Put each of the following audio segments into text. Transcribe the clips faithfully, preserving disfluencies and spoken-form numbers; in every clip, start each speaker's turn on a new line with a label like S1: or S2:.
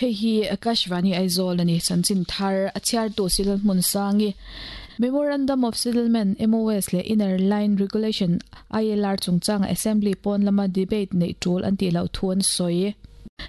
S1: Hei hi Akashvani Aizawl ani chanchin thar a chhiar tu silal hmun sangi Memorandum of Settlement M O S le Inner Line Regulation I L R chungchang Assembly pawn lama debate nei tul an ti lo thuan soi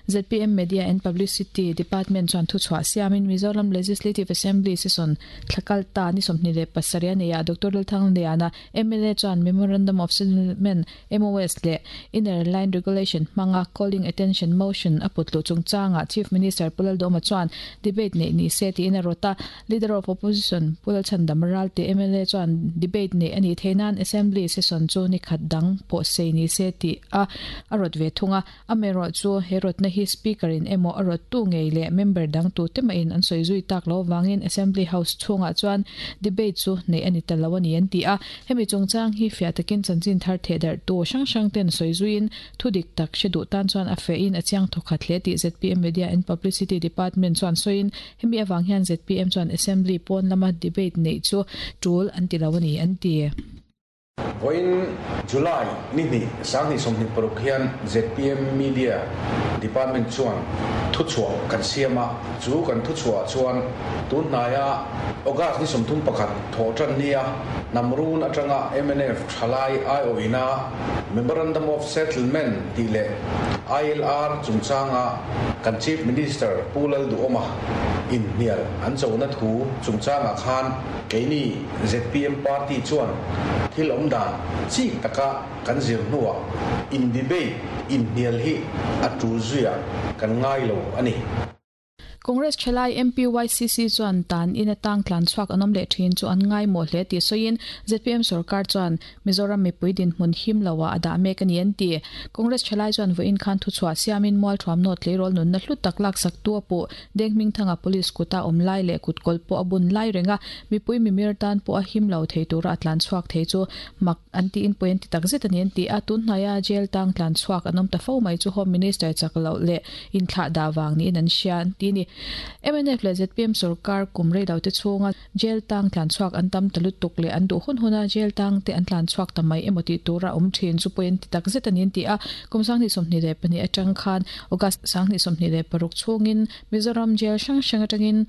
S1: Z P M Media and Publicity Department chuan thu chhuah siamin Mizoram Legislative Assembly session thlakal ta ni sawmhnih leh pasarih a nei a Doctor Lalthang Liana M L A chuan Memorandum of Settlement M O S le Inner Line Regulation hmanga Calling Attention Motion a putlu chungchanga Chief Minister Pulal Doma chuan debate nei ni se ti in a rota Leader of Opposition Pulal Chandam Ralte M L A chuan debate nei ani theinan Assembly session chu ni khat dang pawh sei ni se ti a a rot ve thunga amero chu he rot na hi speaker in emo a rot tu ngei le member dang tu tema in an soi zui tak lo wangin Assembly House chunga chuan debate chu nei ani talo ani an ti a hemi chungchang hi fia takin chanchin thar the dar tu sang sang ten soi zuin thudik tak shedu tan chuan a fe in achiang thokhat hle ti Z P M Media and Publicity Department chuan soin hemi awang hian Z P M chuan Assembly pawn lama debate nei chu tul an ti lo ani an ti.
S2: Voin July ni ni sang ni somni paruk hian Z P M Media Department chuan thu chhuah kan siama chu kan thu chhuah chuan tun hnaiah August ni somthum pakhat tho tan nia namrun atanga M N F thalai I O ina Memorandum of Settlement ti le I L R chungchanga kan Chief Minister Pulal Duoma in hnial an chona thu chungchanga khan keini Z P M party chuan thil awm dan chik taka kan zir hnuah in debate in hnial hi a tu zuia kan ngai lo ani.
S1: Congress Chalai M P Y C C chuan tan in atang tlan chuak anom le thin chu an ngai mo hle ti soin Z P M sarkar chuan Mizoram mipui din hmun him lawa ada mek ani an ti. Congress Chalai chuan voin khan thu chhuah siamin mual thuam not leirol nun na hlu tak lak sak tu apu dengming thanga police kuta om lai le kutkol po abun lai renga mipui mimir tan po a him lo thei tura atlan chuak thei chu mak anti in point ti tak zet ani an ti a tun hnaya jail tang tlan chuak anom ta fo mai chu Home Minister chaklo le in thla da wang ni an sian ti ni. M N F le Z P M sarkar kumrei lo te chunga jail tang tlan chuak an tam talut tuk le an du hun huna jail tang te an tlan chuak tamai emoti tura om thin chu point ti tak zet ani ti a kumsang ni somni le pani atang khan August sang ni somni le paruk chungin Mizoram jail sang sang atangin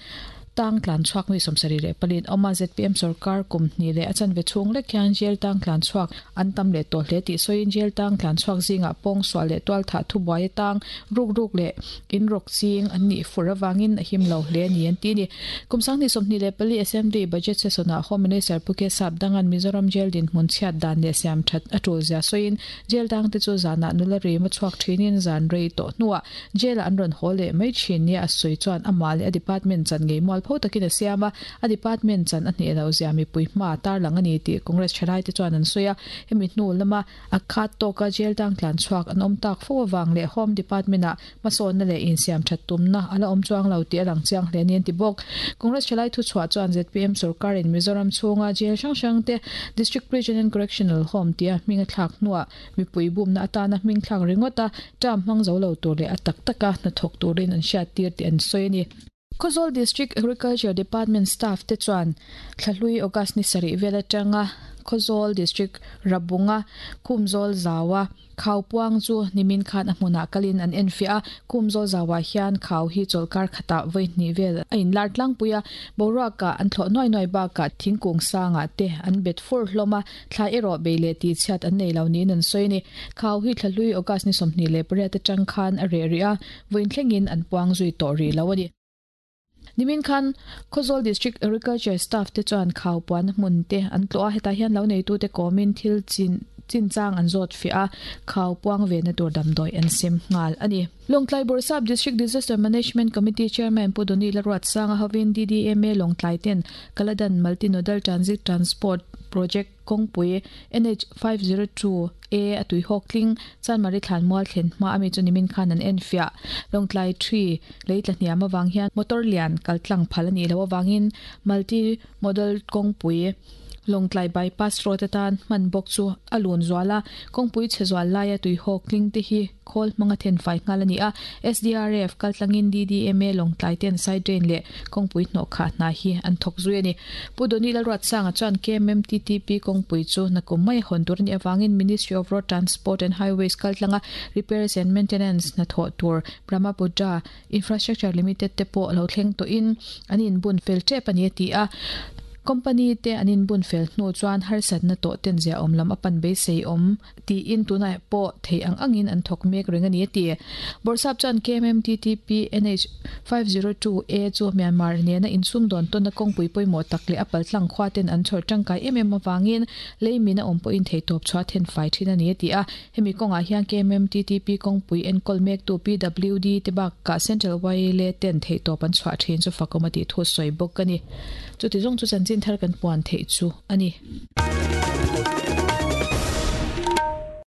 S1: tang tlan chuak mi somsari le palin oma Z P M sarkar kumni le achan ve chung le kyan jail tang tlan chuak an tam le to hle ti soin jail tang tlan chuak zinga pong swa le twal tha thu buai tang ruk ruk le in rok ching an ni furawangin a him lo hle ni an ti ni kumsang ni somni le pali Assembly budget session a Home Minister Puke Sap dangan Mizoram jail din hmun chhiat dan le siam that atul zia soin jail tang te chu zana nula re ma chuak thinin zan rei to nuwa jail an ron hole mai thin ni a soi chuan amal a department chan ngei mual pho takin a siama a department chan a hne lo zia mi pui hma tar lang ani ti Congress thalai te chuan an soya hemi hnu lama a khat to ka jail tang tlan chuak an awm tak fo awang le Home Department a masawn na le in siam that tumna ala awm chuang lo ti alang chiang hle ni an ti bawk. Congress thalai thu chhuah chuan Z P M sarkar in Mizoram chhunga jail hrang hrang te District Prison and Correctional Home tia hminga thlak hnuah mipui bumna atana hming thlak ringawta term hmang zo lo tur leh a tak taka hnathawk turin an hriat tir tih an sawi ani. Khawzawl District Agriculture Department staff te chuan thlahlui August ni sarih vel atanga Khawzawl District Rabunga Khumzawl Zawa khau puang chu nimin khan a hmunah kalin an en fia a Khumzawl Zawa hian khau hi chawlkar khata voi hnih vel a in lar tlangpui a boruaka an thlawh nuai nuai bakah thingkung sangah te an bet fur hlawm a thla erawh bei leh ti chhiat an nei lo niin an sawi ani. Khau hi thlahlui August ni sawmhnih leh pariat atang khan a reh rih a vawiin thlengin an puang zui tawh rih lo ani. Nimin khan Khawzawl District Agriculture staff te chuan khau puan hmun te an tlawh a hetah hian lo nei tu te kawmin thil chin chinchang an zawt fi a khau puang ve na tur damdawi an sem nghal ani. Lawngtlai Bawrhsap District Disaster Management Committee Chairman Pudoni Laruat Sanga hovin D D M A Lawngtlai ten Kaladan Multinodal Transit Transport Project kawngpui N H five zero two A atui hawk tling Chanmari thlan mual thlen hma ami chu nimin khan an en fia Lawngtlai three leitla hniam awang hian motor lian kaltlang phal ani lo awangin multi modal kawngpui Lawngtlai Bypass Road atan hman bawk chu a lun zual a, kawngpui chhe zual laia tuihawk tling te hi khawl hmanga thenfai nghal a ni a. S D R F kaltlangin D D M A Lawngtlai ten side drain leh kawngpui hnawh khah hna hi an thawk zui a ni. Pu Doni Lalruatsanga chuan K M M T T P kawngpui chu nakum mai hawn tur a nih avangin Ministry of Road Transport and Highways kaltlanga repairs and maintenance hna thawh tur Brahmaputra Infrastructure Limited te pawh lo thleng tawhin an inbun fel tep a ni a ti a. Company te an inbun fel hnu chuan harsatna tawh ten zia awm lam a pan beisei awm tiin tunah pawh thei ang angin an thawk mek reng a ni a ti. Bawrhsap chuan K M M T T P N H five zero two A chu Myanmar nena insum dawn tawnna kawngpui pawimawh tak leh a paltlang khua ten an chhawr tangkai em em awangin leimin a awm pawhin theitawp chhuah then fai thin a ni a ti a. Hemi kawngah hian K M M T T P kawngpui enkawl mektu P W D te bakah Central Y L A ten theitawp an chhuah thin chu fakawm a tih thu sawi bawk a ni. Chuti zawng chu chanchin thar kan puan theih chu a ni.